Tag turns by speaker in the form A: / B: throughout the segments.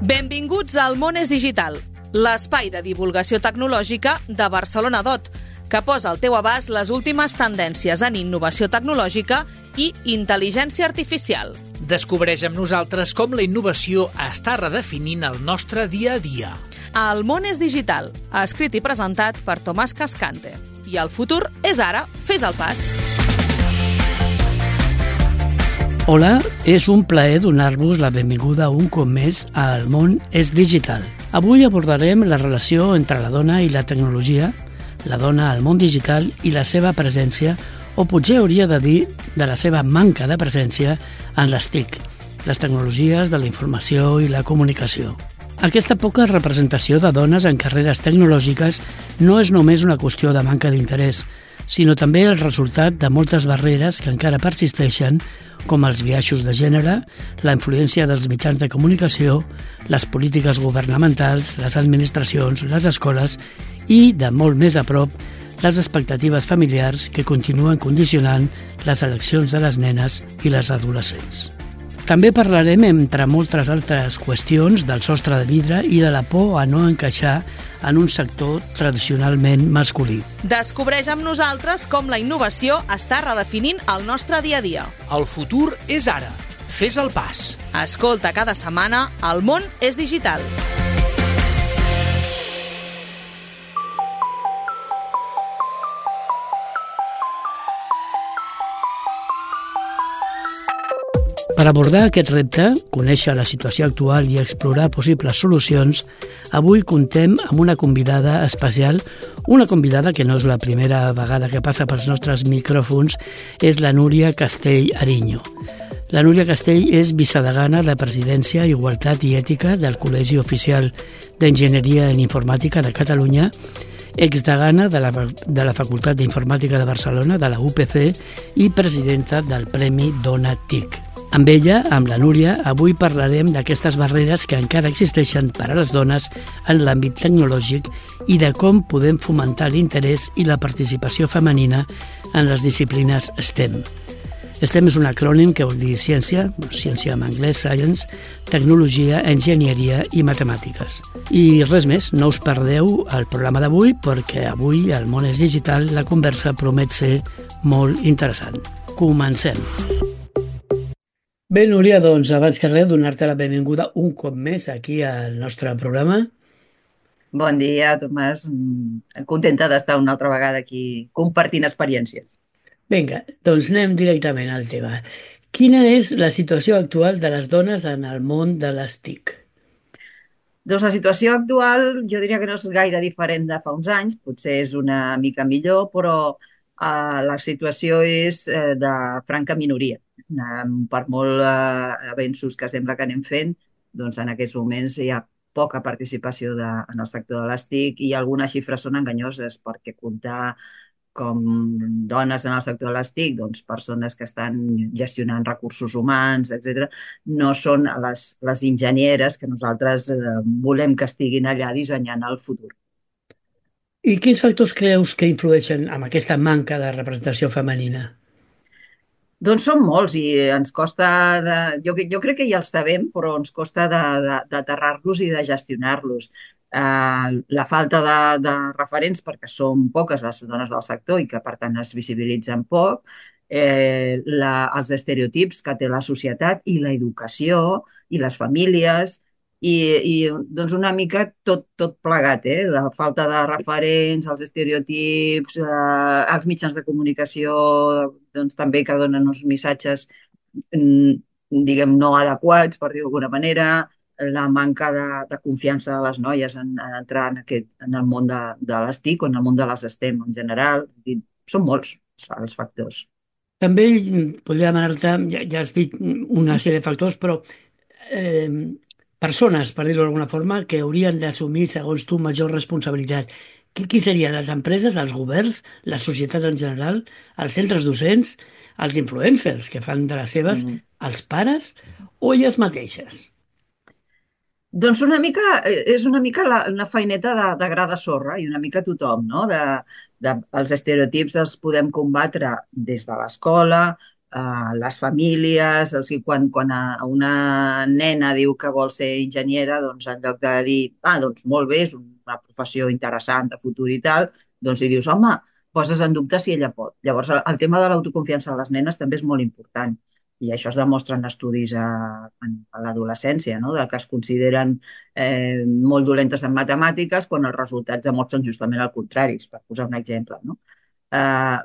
A: Benvinguts al Món és Digital, l'espai de divulgació tecnològica de Barcelona DOT, que posa al teu abast les últimes tendències en innovació tecnològica i intel·ligència artificial.
B: Descobreix amb nosaltres com la innovació està redefinint el nostre dia a dia.
A: El Món és Digital, escrit i presentat per Tomàs Cascante. I el futur és ara, fes el pas.
C: Hola, és un plaer donar-vos la benvinguda un cop més al Món és Digital. Avui abordarem la relació entre la dona i la tecnologia, la dona al món digital i la seva presència, o potser hauria de dir de la seva manca de presència en les TIC, les tecnologies de la informació i la comunicació. Aquesta poca representació de dones en carreres tecnològiques no és només una qüestió de manca d'interès, sinó també el resultat de moltes barreres que encara persisteixen, com els biaixos de gènere, la influència dels mitjans de comunicació, les polítiques governamentals, les administracions, les escoles i, de molt més a prop, les expectatives familiars que continuen condicionant les eleccions de les nenes i les adolescents. També parlarem, entre moltes altres qüestions, del sostre de vidre i de la por a no encaixar en un sector tradicionalment masculí.
A: Descobreix amb nosaltres com la innovació està redefinint el nostre dia a dia.
B: El futur és ara. Fes el pas.
A: Escolta cada setmana El Món és Digital.
C: Per abordar aquest repte, conèixer la situació actual i explorar possibles solucions, avui contem amb una convidada especial, una convidada que no és la primera vegada que passa pels nostres micròfons, és la Núria Castell Ariño. La Núria Castell és vicedegana de Presidència, Igualtat i Ètica del Col·legi Oficial d'Enginyeria en Informàtica de Catalunya, exdegana de la Facultat d'Informàtica de Barcelona, de la UPC, i presidenta del Premi Dona TIC. Amb ella, amb la Núria, avui parlarem d'aquestes barreres que encara existeixen per a les dones en l'àmbit tecnològic i de com podem fomentar l'interès i la participació femenina en les disciplines STEM. STEM és un acrònim que vol dir ciència en anglès, science, tecnologia, enginyeria i matemàtiques. I res més, no us perdeu el programa d'avui perquè avui al Món és Digital la conversa promet ser molt interessant. Comencem. Bé, Núria, doncs abans que res donar-te la benvinguda un cop més aquí al nostre programa.
D: Bon dia, Tomàs. Contenta d'estar una altra vegada aquí compartint experiències.
C: Vinga, doncs anem directament al tema. Quina és la situació actual de les dones en el món de les TIC?
D: Doncs la situació actual jo diria que no és gaire diferent de fa uns anys, potser és una mica millor, però la situació és de franca minoria. Per molt avenços que sembla que anem fent, doncs en aquests moments hi ha poca participació en el sector de les TIC i algunes xifres són enganyoses perquè comptar com dones en el sector de les TIC, doncs persones que estan gestionant recursos humans, etc., no són les enginyeres que nosaltres volem que estiguin allà dissenyant el futur.
C: I quins factors creus que influeixen en aquesta manca de representació femenina?
D: Doncs són molts i ens costa, jo crec que ja els sabem, però ens costa d'aterrar-los i de gestionar-los. La falta de referents, perquè són poques les dones del sector i que per tant es visibilitzen poc, els estereotips que té la societat i l'educació i les famílies i doncs una mica tot plegat, la falta de referents, els estereotips, els mitjans de comunicació doncs també que donen uns missatges diguem no adequats, per dir-ho d'alguna manera, la manca de confiança de les noies en entrar en el món de les TIC o en el món de les STEM en general. Són molts els factors.
C: També podria demanar-te, ja has dit una sèrie de factors, però persones, per dir-ho d'alguna forma, que haurien d'assumir, segons tu, major responsabilitat. Qui serien les empreses, els governs, la societat en general, els centres docents, els influencers que fan de les seves, els pares o elles mateixes?
D: Doncs és una mica una feineta de gra de sorra i una mica tothom, no? Els estereotips els podem combatre des de l'escola, les famílies, o sigui, quan una nena diu que vol ser enginyera, doncs en lloc de dir, doncs molt bé, és una professió interessant de futur i tal, doncs li dius, home, poses en dubte si ella pot. Llavors, el tema de l'autoconfiança de les nenes també és molt important. I això es demostra en estudis a l'adolescència, no? De que es consideren molt dolentes en matemàtiques quan els resultats demostren justament el contrari, per posar un exemple, no? Eh,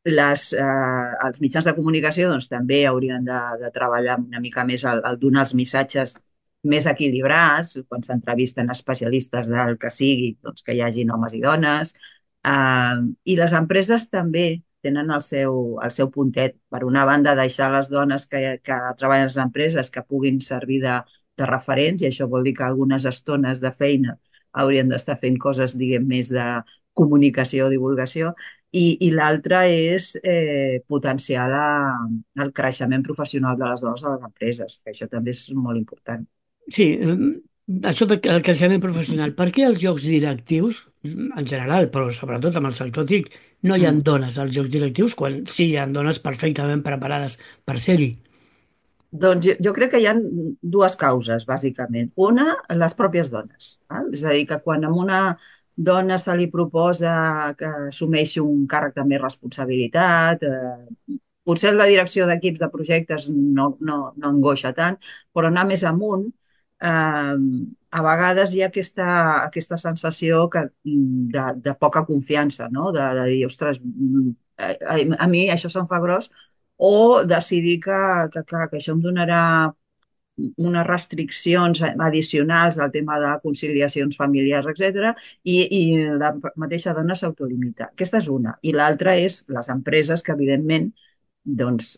D: els mitjans de comunicació doncs, també haurien de treballar una mica més el donar els missatges més equilibrats, quan s'entrevisten especialistes del que sigui, doncs, que hi hagin homes i dones. I les empreses també tenen el seu puntet. Per una banda, deixar les dones que treballen a les empreses que puguin servir de referents, i això vol dir que algunes estones de feina haurien d'estar fent coses, diguem, més de comunicació o divulgació, i l'altre és potenciar el creixement professional de les dones a les empreses, que això també és molt important.
C: Sí, això del creixement professional. Per què als llocs directius, en general, però sobretot amb el sector TIC, no hi ha
D: Mm.
C: dones als llocs directius quan sí hi ha dones perfectament preparades per ser-hi?
D: Doncs jo crec que hi ha dues causes, bàsicament. Una, les pròpies dones. Val? És a dir, que quan a una dona se li proposa que assumeixi un càrrec de més responsabilitat, potser la direcció d'equips de projectes no angoixa tant, però anar més amunt, a vegades hi ha aquesta sensació de poca confiança, no? De dir, ostres, a mi això se'm fa gros, o decidir clar, que això em donarà unes restriccions addicionals al tema de conciliacions familiars, etc. I la mateixa dona s'autolimita. Aquesta és una. I l'altra és les empreses que, evidentment, doncs,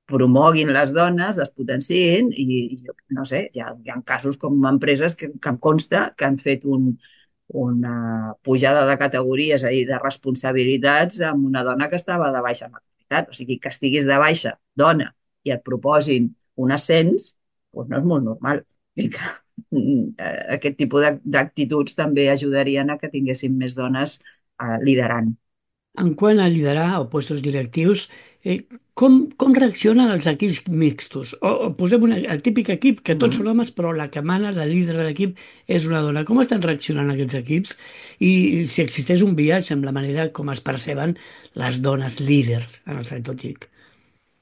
D: promoguin les dones, les potenciïn i no sé, hi ha casos com empreses que em consta que han fet una pujada de categories, és a dir, de responsabilitats amb una dona que estava de baixa maternitat. O sigui, que estiguis de baixa, dona, i et proposin un ascens, doncs no és molt normal. I que aquest tipus d'actituds també ajudarien a que tinguéssim més dones liderant.
C: En quant a liderar o puestos directius, com reaccionen els equips mixtos? O posem el típic equip que tots són homes, però la que mana, la líder de l'equip, és una dona. Com estan reaccionant aquests equips? I si existeix un biaix en la manera com es perceben les dones líders en el sector TIC?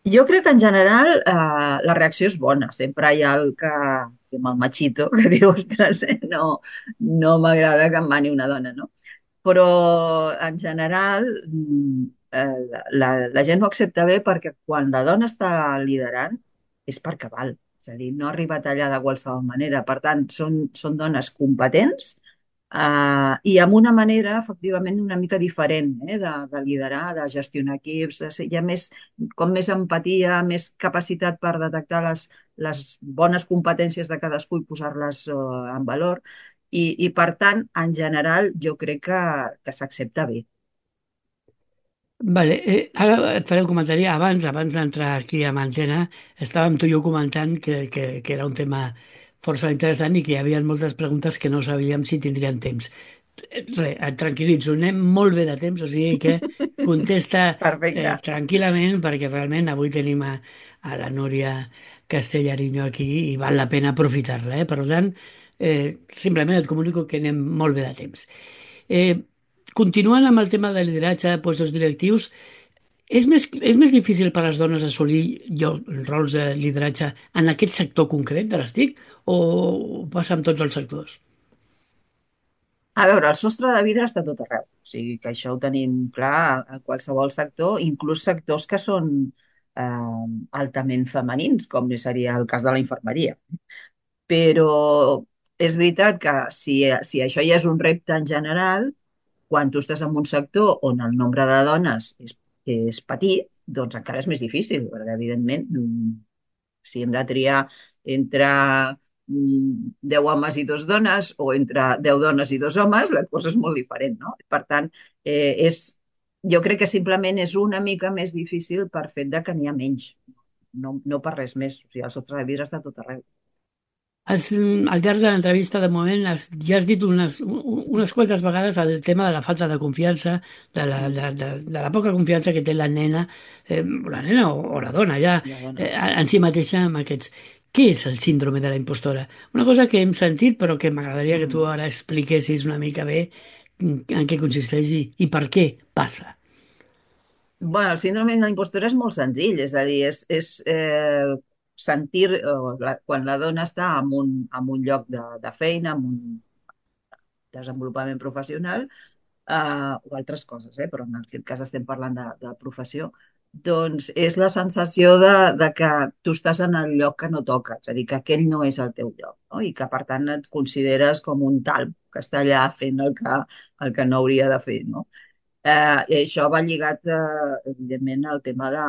D: Jo crec que en general la reacció és bona. Sempre hi ha amb el machito, que diu, ostres, no m'agrada que em mani una dona, no? Però en general la gent ho accepta bé perquè quan la dona està liderant és perquè val. És a dir, no arriba tallada de qualsevol manera. Per tant, són dones competents i amb una manera, efectivament, una mica diferent de liderar, de gestionar equips. Hi ha més empatia, més capacitat per detectar les bones competències de cadascú i posar-les en valor. I per tant, en general, jo crec que s'accepta bé.
C: Vale, ara et faré un comentari. Abans d'entrar aquí a Mantena, estàvem tu i jo comentant que era un tema força interessant i que hi havia moltes preguntes que no sabíem si tindrien temps. Et tranquil·litzo, anem molt bé de temps, o sigui que contesta
D: Perfecte.
C: tranquil·lament, perquè realment avui tenim a la Núria Castellariño aquí i val la pena aprofitar-la. Per tant, simplement et comunico que anem molt bé de temps. Eh, Continuant amb el tema de lideratge, puestos directius, és més difícil per a les dones assolir rols de lideratge en aquest sector concret de les TIC o passa amb tots els sectors?
D: A veure, el sostre de vidre està tot arreu. O sigui que això ho tenim clar a qualsevol sector, inclús sectors que són altament femenins, com seria el cas de la infermeria. Però és veritat que si això ja és un repte en general, quan tu estàs en un sector on el nombre de dones és petit, doncs encara és més difícil, perquè evidentment si hem de triar entre 10 homes i 2 dones o entre 10 dones i 2 homes, la cosa és molt diferent, no? Per tant, jo crec que simplement és una mica més difícil per fet de que n'hi ha menys, no per res més. O sigui, el sostre de vidre està tot arreu.
C: Al llarg de l'entrevista, de moment, ja has dit unes quantes vegades el tema de la falta de confiança, de la poca confiança que té la nena o la dona ja
D: La dona.
C: en si mateixa amb aquests. Què és el síndrome de la impostora? Una cosa que hem sentit però que m'agradaria que tu ara expliquessis una mica bé en què consisteix i per què passa.
D: Bueno, el síndrome de la impostora és molt senzill, és a dir, és sentir, quan la dona està en un lloc de feina, en un desenvolupament professional, o altres coses, però en aquest cas estem parlant de professió, doncs és la sensació de que tu estàs en el lloc que no toca, és a dir, que aquell no és el teu lloc, no? I que per tant et consideres com un talp que està allà fent el que no hauria de fer, no? I això va lligat, evidentment, al tema de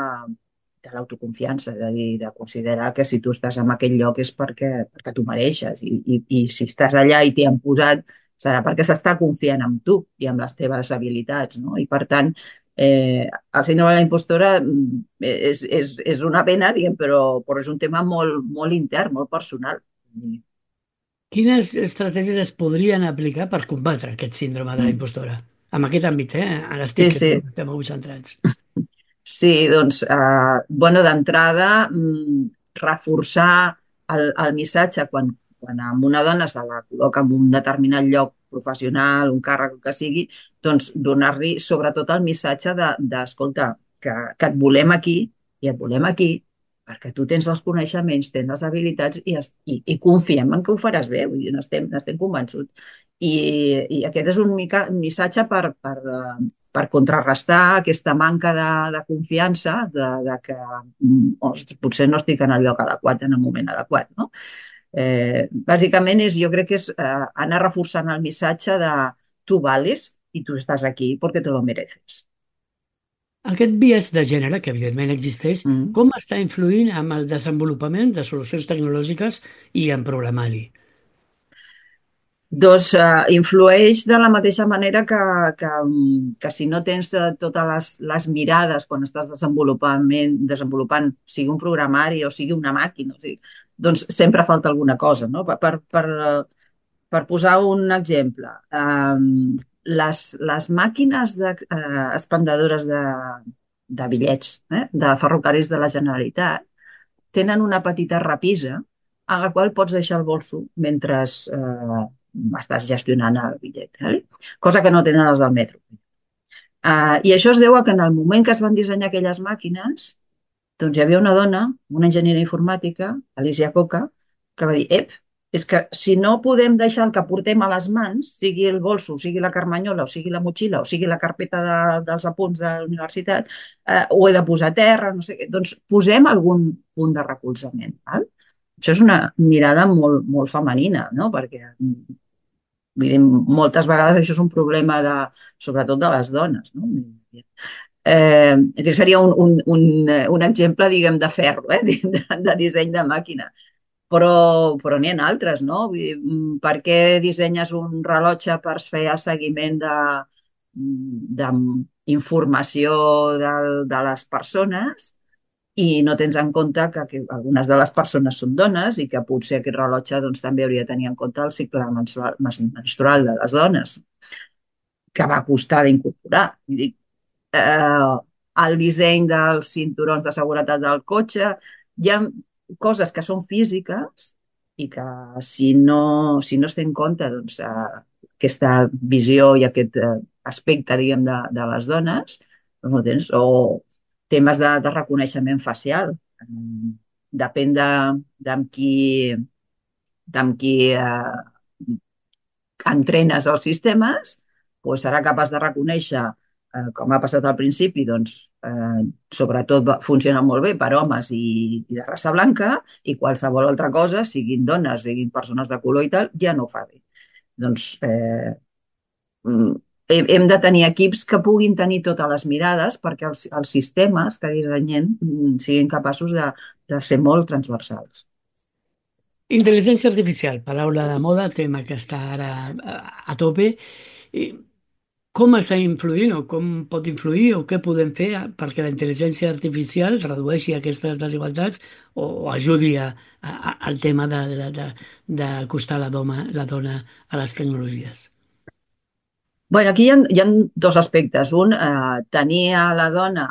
D: l'autoconfiança, és a dir, de considerar que si tu estàs en aquell lloc és perquè tu mereixes i si estàs allà i t'hi han posat serà perquè s'està confiant en tu i en les teves habilitats, no? I per tant, el síndrome de la impostora és una pena, diguem, però és un tema molt, molt intern, molt personal.
C: Quines estratègies es podrien aplicar per combatre aquest síndrome de la
D: Mm.
C: impostora? En aquest àmbit, a
D: Sí,
C: l'estic que
D: sí.
C: estem avui centrats.
D: Sí, doncs, bueno, d'entrada, reforçar el missatge quan a una dona se la col·loca en un determinat lloc professional, un càrrec, el que sigui, doncs donar-li sobretot el missatge d'escolta, que et volem aquí i et volem aquí perquè tu tens els coneixements, tens les habilitats i confiem en que ho faràs bé, vull dir, n'estem convençuts. I aquest és un missatge per contrarrestar aquesta manca de confiança de que ostres, potser no estic en el lloc adequat en el moment adequat, no? Bàsicament jo crec que és anar reforçant el missatge de tu vales i tu estàs aquí perquè te lo mereces.
C: Aquest biaix de gènere, que evidentment existeix,
D: Mm.
C: com està influint amb el desenvolupament de solucions tecnològiques i en programari?
D: Doncs influeix de la mateixa manera que si no tens totes les mirades quan estàs desenvolupant, sigui un programari o sigui una màquina, o sigui, doncs sempre falta alguna cosa, no? Per posar un exemple, les màquines expendedores de bitllets de ferrocarrils de la Generalitat tenen una petita repisa en la qual pots deixar el bolso mentre estàs gestionant el bitllet, cosa que no tenen els del metro. I això es deu a que en el moment que es van dissenyar aquelles màquines, doncs hi havia una dona, una enginyera informàtica, Alicia Coca, que va dir, és que si no podem deixar el que portem a les mans, sigui el bolso, sigui la carmanyola, o sigui la motxilla, o sigui la carpeta dels apunts de la universitat, ho he de posar a terra, no sé què, doncs posem algun punt de recolzament. Val? Això és una mirada molt, molt femenina, no? Perquè vull dir, moltes vegades això és un problema sobretot de les dones, no? Aquest seria un exemple, diguem, de ferro, de disseny de màquina. Però n'hi ha altres, no? Vull dir, per què dissenyes un rellotge per fer el seguiment d'informació de les persones i no tens en compte que algunes de les persones són dones i que potser aquest rellotge doncs, també hauria de tenir en compte el cicle menstrual de les dones, que va costar d'incorporar. Vull dir, eh, el disseny dels cinturons de seguretat del cotxe, hi ha coses que són físiques i que si no es té en compte doncs, aquesta visió i aquest aspecte, diguem, de les dones, doncs no tens, o temes de reconeixement facial. Depèn d'amb qui entrenes els sistemes, doncs serà capaç de reconèixer, com ha passat al principi, doncs, sobretot funciona molt bé per homes i de raça blanca, i qualsevol altra cosa, siguin dones, siguin persones de color i tal, ja no ho fa bé. Doncs mm, hem de tenir equips que puguin tenir totes les mirades perquè els sistemes que dissenyem siguin capaços de ser molt transversals.
C: Intel·ligència artificial, paraula de moda, tema que està ara a tope. I Com està influint o com pot influir o què podem fer perquè la intel·ligència artificial redueixi aquestes desigualtats o ajudi al tema d'acostar la dona a les tecnologies?
D: Bueno, aquí hi ha dos aspectes. Un, tenir a la dona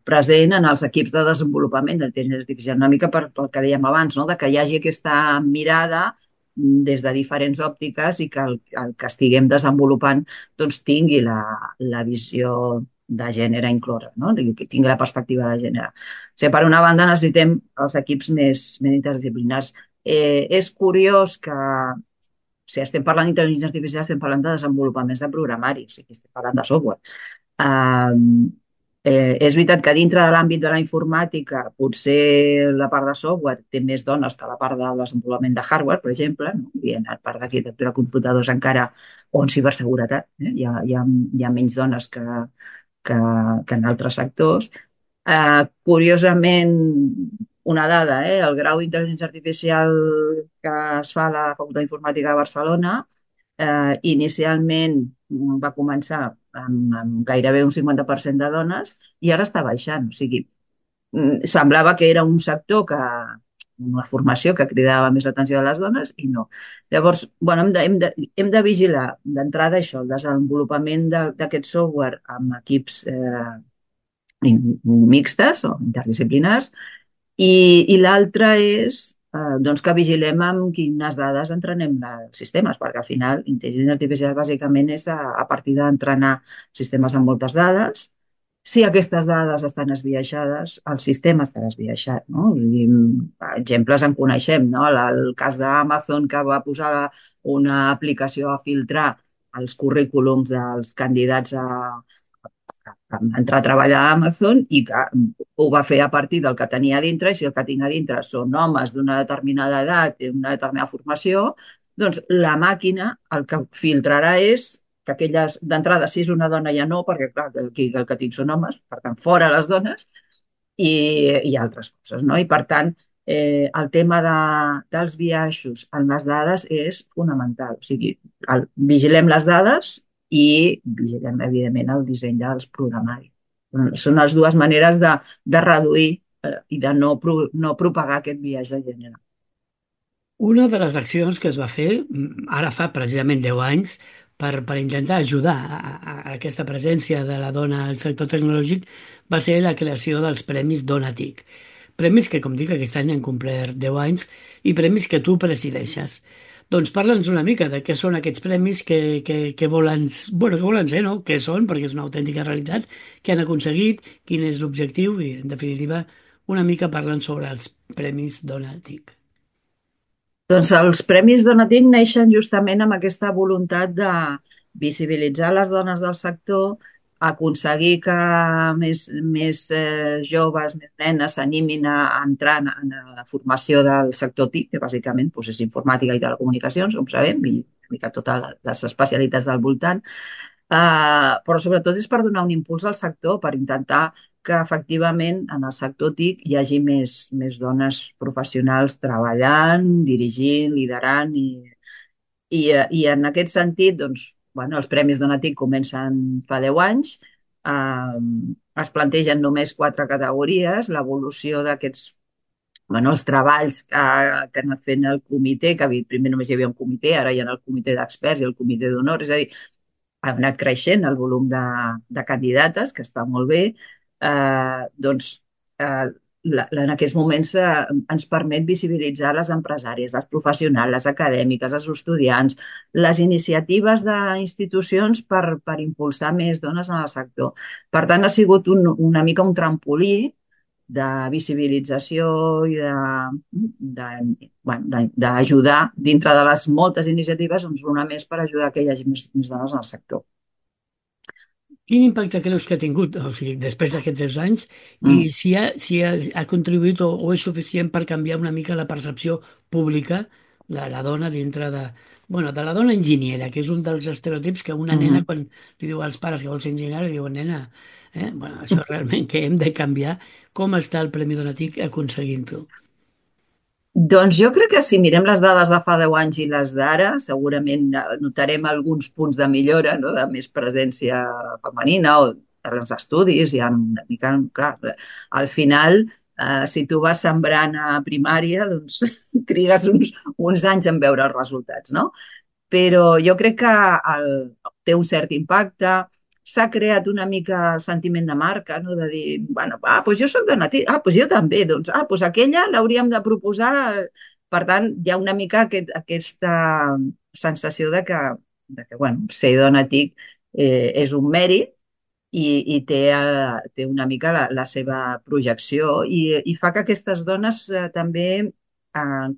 D: present en els equips de desenvolupament de l'intel·ligència artificial, una mica pel que dèiem abans, no? De que hi hagi aquesta mirada des de diferents òptiques i que el que estiguem desenvolupant doncs, tingui la visió de gènere inclosa, no? Que tingui la perspectiva de gènere. O sigui, per una banda necessitem els equips més interdisciplinars. És curiós que si estem parlant d'intel·ligència artificial, estem parlant de desenvolupaments de programari, o sigui, estem parlant de software. Um, és veritat que dintre de l'àmbit de la informàtica potser la part de software té més dones que la part de desenvolupament de hardware, per exemple, no? I en la part d'arquitectura de computadors encara, o en ciberseguretat, hi ha menys dones que en altres sectors. Curiosament, una dada, el grau d'intel·ligència artificial que es fa a la Facultat d'Informàtica de Barcelona inicialment va començar amb gairebé un 50% de dones i ara està baixant. O sigui, semblava que era un sector una formació que cridava més l'atenció de les dones i no. Llavors, bueno, hem de vigilar d'entrada això, el desenvolupament d'aquest software amb equips mixtes o interdisciplinars i l'altre és doncs que vigilem amb quines dades entrenem els sistemes, perquè al final intel·ligència artificial bàsicament és a partir d'entrenar sistemes amb moltes dades. Si aquestes dades estan esbiaixades, el sistema estarà esbiaixat. No? I, exemples en coneixem. No? El cas d'Amazon que va posar una aplicació a filtrar els currículums dels candidats entrar a treballar a Amazon i que ho va fer a partir del que tenia a dintre i si el que tinc a dintre són homes d'una determinada edat i una determinada formació, doncs la màquina el que filtrarà és que aquelles, d'entrada, si és una dona ja no, perquè clar, aquí el que tinc són homes, per tant, fora les dones, i altres coses, no? I per tant, el tema dels biaixos en les dades és fonamental. O sigui, vigilem les dades i vigilem, evidentment, el disseny dels programaris. Són les dues maneres de reduir i de no propagar aquest biaix de gènere.
C: Una de les accions que es va fer, ara fa precisament 10 anys, per intentar ajudar a aquesta presència de la dona al sector tecnològic va ser la creació dels Premis Dona TIC. Premis que, com dic, aquest any han complert 10 anys i premis que tu presideixes. Doncs parla'ns una mica de què són aquests premis, que volen, bueno, que volen ser, no? Què són, perquè és una autèntica realitat, què han aconseguit, quin és l'objectiu i, en definitiva, una mica parlen sobre els Premis Dona TIC.
D: Doncs els Premis Donatic neixen justament amb aquesta voluntat de visibilitzar les dones del sector, aconseguir que més joves, més nenes s'animin a entrar en la formació del sector TIC, que bàsicament doncs, és informàtica i telecomunicacions, com sabem, i una mica totes les especialitats del voltant. Però sobretot és per donar un impuls al sector, per intentar que efectivament en el sector TIC hi hagi més dones professionals treballant, dirigint, liderant i en aquest sentit, doncs, bueno, els Premis Dona TIC comencen fa 10 anys, es plantegen només 4 categories, l'evolució d'aquests els treballs que ha anat fent el comitè, que primer només hi havia un comitè, ara hi ha el comitè d'experts i el comitè d'honor, és a dir, ha anat creixent el volum de candidates, que està molt bé, doncs en aquests moments ens permet visibilitzar les empresàries, les professionals, les acadèmiques, els estudiants, les iniciatives d'institucions per impulsar més dones en el sector. Per tant, ha sigut una mica un trampolí de visibilització i d'ajudar dintre de les moltes iniciatives, doncs una més per ajudar que hi hagi més dones en el sector.
C: Quin impacte creus que ha tingut, o sigui, després d'aquests 10 anys, i si ha contribuït o és suficient per canviar una mica la percepció pública de la dona dintre de la dona enginyera, que és un dels estereotips que una nena, quan li diu als pares que vol ser enginyera, li diuen, nena, això realment que hem de canviar. Com està el Premi Donatic aconseguint-ho?
D: Doncs jo crec que si mirem les dades de fa 10 anys i les d'ara, segurament notarem alguns punts de millora, no? De més presència femenina o els estudis, hi ha una mica, clar, al final, si tu vas sembrant a primària, doncs trigues uns anys en veure els resultats, no? Però jo crec que té un cert impacte, s'ha creat una mica el sentiment de marca, no? De dir, bueno, doncs jo soc dona, doncs jo també, doncs aquella l'hauríem de proposar. Per tant, hi ha una mica aquesta sensació de que bueno, ser dona TIC és un mèrit i té una mica la seva projecció i fa que aquestes dones també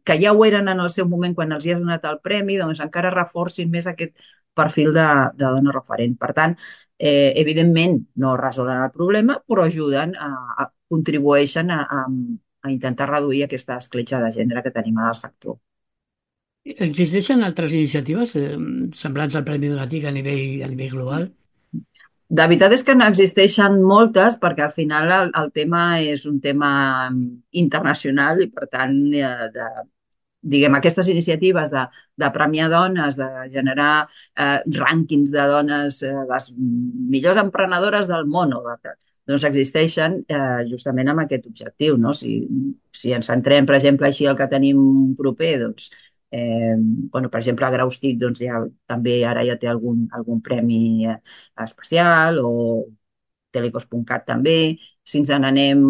D: que ja ho eren en el seu moment quan els hi has donat el premi, doncs encara reforcin més aquest perfil de dona referent. Per tant, evidentment no resolen el problema, però ajuden, contribueixen a intentar reduir aquesta escletxa de gènere que tenim al sector.
C: Existeixen altres iniciatives semblants al Premi Donatic a nivell global?
D: De veritat és que n'existeixen moltes perquè al final el tema és un tema internacional i per tant diguem, aquestes iniciatives de premiar dones, de generar rànquings de dones, les millors emprenedores del món, doncs existeixen justament amb aquest objectiu, no? Si ens centrem, per exemple, així el que tenim proper, doncs, bueno, per exemple, a Graus TIC doncs, també ara ja té algun premi especial o Telecos.cat també. Si ens n'anem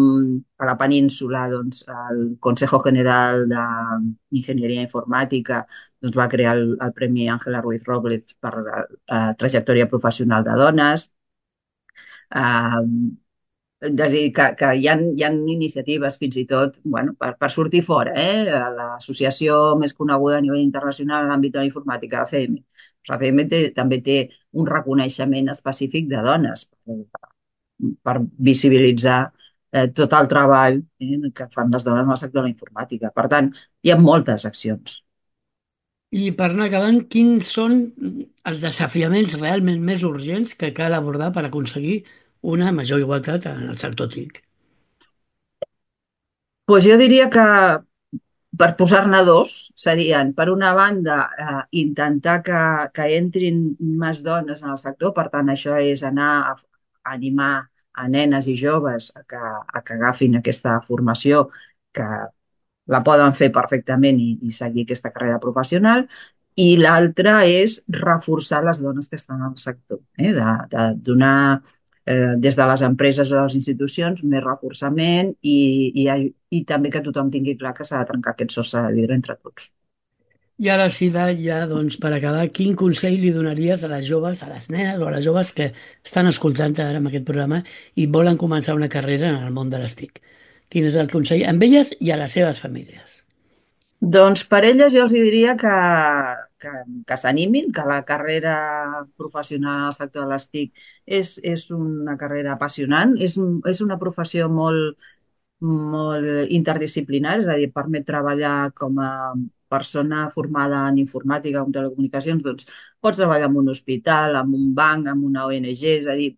D: a la península, doncs, el Consejo General d'Enginyeria Informàtica doncs, va crear el Premi Ángela Ruiz Robles per trajectòria professional de dones. És a dir, que hi ha iniciatives fins i tot bueno, per sortir fora. L'associació més coneguda a nivell internacional en l'àmbit de la informàtica, ACM. L'ACM també té un reconeixement específic de dones per visibilitzar tot el treball que fan les dones en el sector de la informàtica. Per tant, hi ha moltes accions.
C: I per anar acabant, quins són els desafiaments realment més urgents que cal abordar per aconseguir una major igualtat en el sector TIC?
D: Pues jo diria que per posar-ne dos serien, per una banda, intentar que entrin més dones en el sector, per tant, això és anar a animar a nenes i joves que agafin aquesta formació, que la poden fer perfectament i seguir aquesta carrera professional, i l'altra és reforçar les dones que estan al sector, de donar des de les empreses o de les institucions més reforçament i també que tothom tingui clar que s'ha de trencar aquest sostre de vidre entre tots.
C: I ara sí, ja, doncs, per acabar, quin consell li donaries a les joves, a les nenes o a les joves que estan escoltant ara amb aquest programa i volen començar una carrera en el món de les TIC? Quin és el consell amb elles i a les seves famílies?
D: Doncs per elles jo els diria que s'animin, que la carrera professional al sector de les TIC és una carrera apassionant, és una professió molt, molt interdisciplinar, és a dir, permet treballar com a persona formada en informàtica o en telecomunicacions, doncs pots treballar en un hospital, en un banc, en una ONG, és a dir,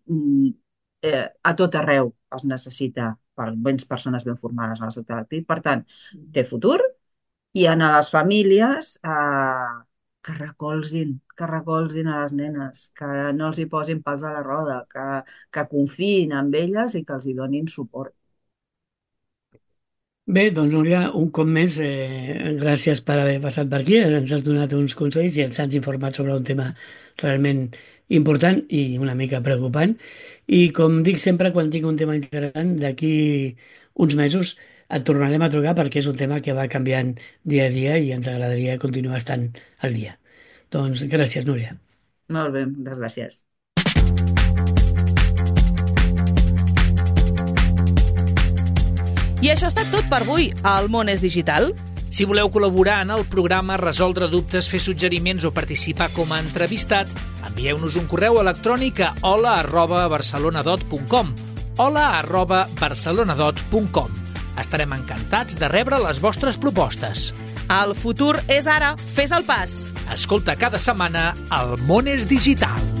D: a tot arreu es necessita persones ben formades en el sector de les TIC. Per tant, té futur. I a les famílies que recolzin a les nenes, que no els hi posin pals a la roda, que confiïn en elles i que els hi donin suport.
C: Bé, doncs Núria, un cop més, gràcies per haver passat per aquí, ens has donat uns consells i ens has informat sobre un tema realment important i una mica preocupant. I com dic sempre, quan tinc un tema interessant, d'aquí uns mesos et tornarem a trucar perquè és un tema que va canviant dia a dia i ens agradaria continuar estant al dia. Doncs gràcies, Núria.
D: Molt bé, moltes gràcies.
A: I això ha estat tot per avui. El món és digital.
B: Si voleu col·laborar en el programa, resoldre dubtes, fer suggeriments o participar com a entrevistat, envieu-nos un correu electrònic a hola@barcelonadot.com hola@barcelonadot.com. Estarem encantats de rebre les vostres propostes.
A: El futur és ara. Fes el pas.
B: Escolta cada setmana El món és digital.